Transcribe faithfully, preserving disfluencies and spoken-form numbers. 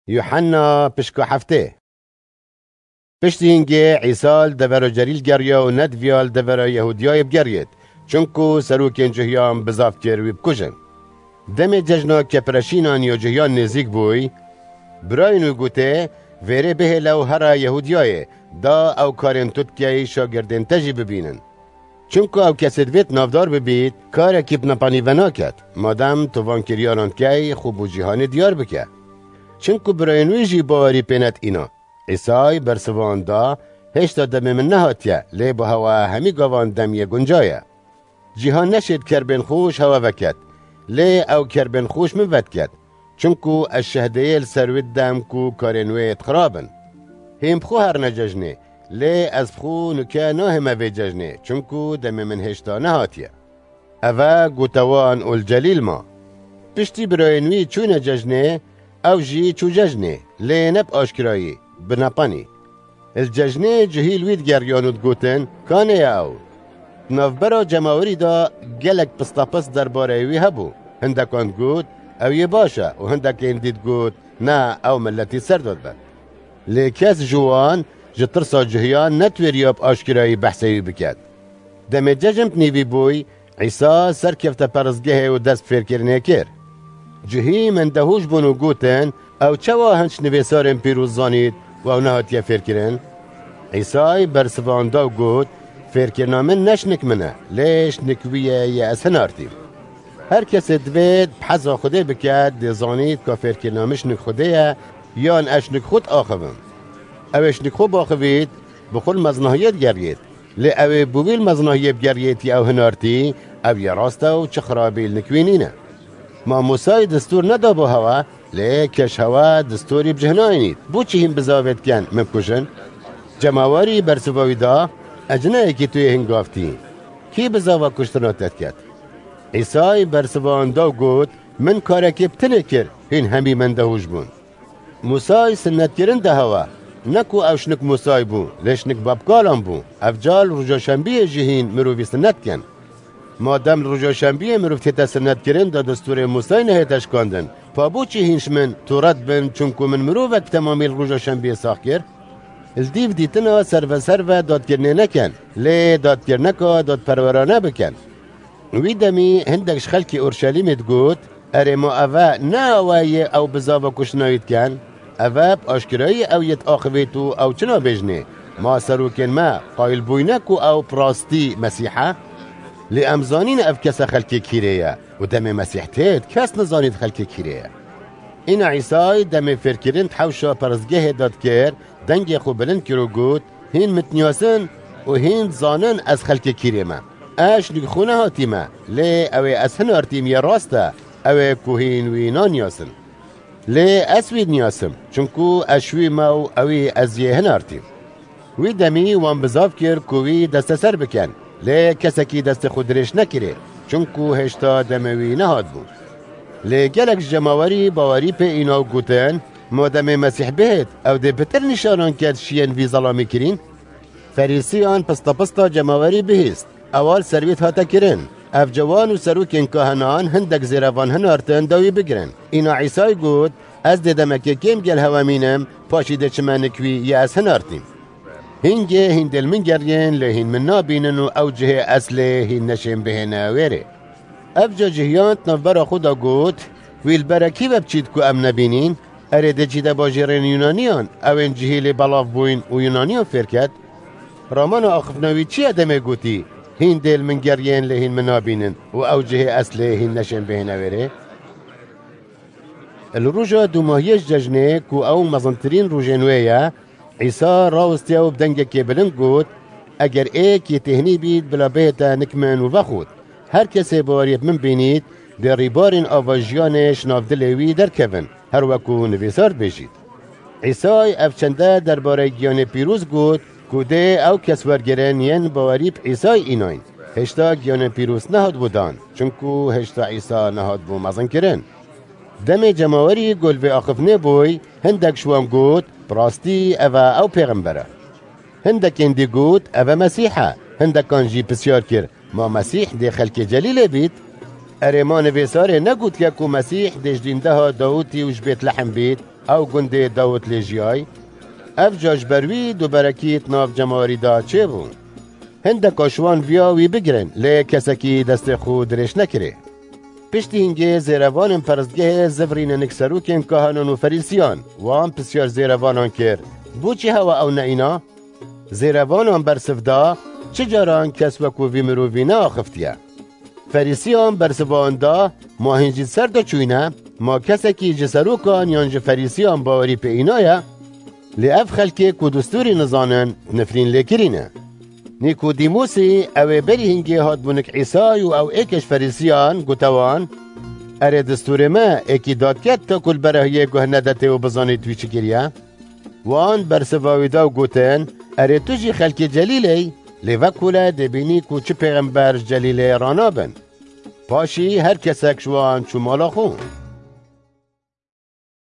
Yuhanna pişka heftê. Piştî hingê Îsa li devera Celîl geriya û nediviya li devera Yehûdiyayê bigeriyêt, çinku serokên cihiyan bizav kir wî bikujin. Demê cejna kepireşînan ya cihiyan nêzîk bûy, birayên wî gotê, vêrê bihêle û here Yehûdiyayê, da ew karên tu dikey şagirdên te jî bibînin. Çimku ew kesê divêt navdar bibît, karekî bi nepanî venaket, madem tu van kiryaran dikey, xwe bo cîhanê diyar bike. Çimku birayên wî jî bawerî pê netîna. Îsay bersivan da, hêşta demê min nehatiye, lê bi hewa hemî gavan dem yê gunca ye. Cîhan neşêt kerbên xwe ji hewa veket, lê ew kerbên xwe ji min vediket. Çimku ez şehdeyê li ser wê didem ku karên wê yê xirab in. Hîn bi xwe herine cejnê, lê ez bi xwe nuke nahême vê cejnê, çimku demê min hêşta nehatiye. Eve gote wan û li Celîl ma. Piştî birayên wî çûne cejnê, ew jî çû cejnê, lê ne bi aşkirayî, bi nepanî. Li cejnê cihî li wî digeriyan û digotin, kanê ye ew? Di navbera cemawerî de gelek pistapist derbareyê wî hebû. Hindekan digot, ew yê baş e û hindekên dî digot, ne, ew miletî ser dadibe. Lê kes ji wan, ji tirsa cihiyan netwêriya bi aşkirayî behsê wî biket. Demê cejn bi nîvî bûy, Îsa serkefte peristgehê û dest bi fêrkirinê kir. Cihî mendehûş bûn û gotin, ew çawa hin ji nivîsarên pîroz zanît û ew nehatiye fêrkirin? Îsay bersivan da û got, fêrkirina min ne ji nik min e, lê ji nik wî ye yê ez hinartîm. Her kesê divêt bi heza Xwedê bike, dê zanît ka fêrkirina min ji nik Xwedê ye, yan ez ji nik xwe diaxivim. Ew ê ji nik xwe biaxivît, bi xwe li mezinahiyê digeriyêt. Lê ew ê bi wî li mezinahiyê bigeriyêt yê ew hinartî, ew yê rast e û çi xirabî li nik wî nîne. Ma Mûsayî destûr nedabû hewa, lê keş hewa destûrî bi cih nayînît. Bo çi hîn bizavê dikin min bikujin? Cemawerî bersiva wî da, ez jinayekî tu yê hingavtî. Kî bizava kuştina te diket? Îsay bersivan da û got, min karekê bi tinê kir, hîn hemî mendehûş bûn. Mûsay sinnetkirin de hewa, ne ku ew ji nik Mûsay bû, lê ji nik babkalan bû. Ev cal roja şembiyê jî hîn mirovî sinnet dikin. Madem li roja şembiyê mirov tête sinnetkirin de destûrê Mûsay nehête şikandin, pa bo çi hîn ji min Tewret bin, çunku min mirovek bi temamî li roja şembiyê sax kir? Li dîv dîtina serve serve dadkirinê nekin, lê dadkirineka dadperwerane bikin. Wî demî hindek ji xelkê Orşelîmê digot, erê ma eve ne ew e yê ew bizava kuştina wî dikin? Eve bi aşkirayî ew yê diaxivît û ew çi nabêjinê? Ma serokên me qayil bûyne ku ew bi rastî Mesîh e? Lê em zanîn ev kese xelkê kîrê ye û demê Mesîh têt kes nizanît xelkê kîrê ye. Îna Îsay demê fêrkirin di hewşa peristgehê de dikir, dengê xwe bilind kir û got, hîn min diniyasin û hîn dizanin ez xelkê kîrê me. Ez ji nik xwe nehatîme, lê ew ê ez hinartîm yê rast e, ew ê ku hîn wî naniyasin. Lê ez wî diniyasim, çunku ez ji wî me û ewî ez yê hinartîm. Wî demî wan bizav kir ku wî desteser bikin, lê kesekî destê xwe dirêj nekirê, çunku hêşta demê wî nehatbû. Lê gelek ji cemawerî bawerî pê îna û gotin, mademê Mesîh bihêt, ew dê pitir nîşanan ket ji yên vî zelamî kirîn? Ferîsiyan pistapista cemawerî bihîst, ewal ser wî hate kirin. Ev cewan û serokên kahinan hindek zêrevan hinartin da wî bigirin. Îna Îsay got, ez dê demekê kêm gel hewe mînim, paşî dê çime nik wî yê ez hinartîm. Hingê hîn dê li min geriyên, lê hîn min nabînin û ew cihê ez lê hîn neşên bihêne wêrê. Ev ca cihiyan di navbera xwe de got, wî li berekî ve biçît ku em nebînîn? Erê dê çîte bajêrên Yunaniyan, ew ên cihî lê belav bûyn û Yunaniyan fêr ket? Ramana axiftina wî çi ye demê gotî, hîn dê li min geriyên lê hîn min nabînin û ew cihê ez lê hîn neşên bihêne wêrê? Li roja dûmahiyê ji cejnê ku ew mezintirîn rojên wê ye, Îsa rawestiye û bi dengekê bilind got, eger êk yê têhnî bît, bila bihête nik min û vexwit. Her kesê baweriyê bi min bînît, dê rîbarên ava jiyanê ji nav dilê wî derkevin, her weku nivîsar dibêjît. Îsay ev çende derbarê giyanê pîroz got, ku dê ew kes wergirin yên bawerî bi Îsay înayn. Hêşta giyanê pîroz nehatbû dan, çunku hêşta Îsa nehatbû mezinkirin. Demê cemawerî gol vê axiftinê bûy, hindek ji wan got, bi rastî ev e ew pêxember e. Hindekên dî got, ev e Mesîh e. Hindekan jî pisyar kir, ma Mesîh dê xelkê Celîlê bît? Erê ma nivîsarê negotiye ku Mesîh dê ji dîndeha Dawûtî û ji Bêtlehem bît? Ew gundê Dawid lê jiyay, ev ca ji ber wî duberekî di nav cemawerî de çêbû. Hindeka ji wan viya wî bigirin, lê kesekî destê xwe dirêj nekirê. Piştî hingê zêrevanên perestgehê zivirîne nik serokên kahinan û ferîsiyan. Wan pisyar zêrevanan kir, Bo çi hewa ew neîna? Zêrevanan bersiv da, Çi caran kes wekû vî mirovî neaxiftiye. Ferîsiyan bersivan da, Ma hîn jî ser de çûyne, ma kesekî ji serokan yan ji ferîsiyan bawerî pê înaye, lê ev xelkê ku distûrî nizanin, nifrîn lê kirîne. Nîkodîmosî, ew ê berî hingê hatbû nik Îsay û ew êkê ji ferîsiyan, gote wan, Erê distûrê me êkî dadket ta ku li berahiyê guh nedetê û bizanî tu wî çi kiriye? Wan bersiva wî da û gotin, Erê tu jî xelkê Celîlê yî, lê vekole dê bînî ku çi pêxember ji Celîlê ranabin. Paşî her kesek ji wan çû mala xwe.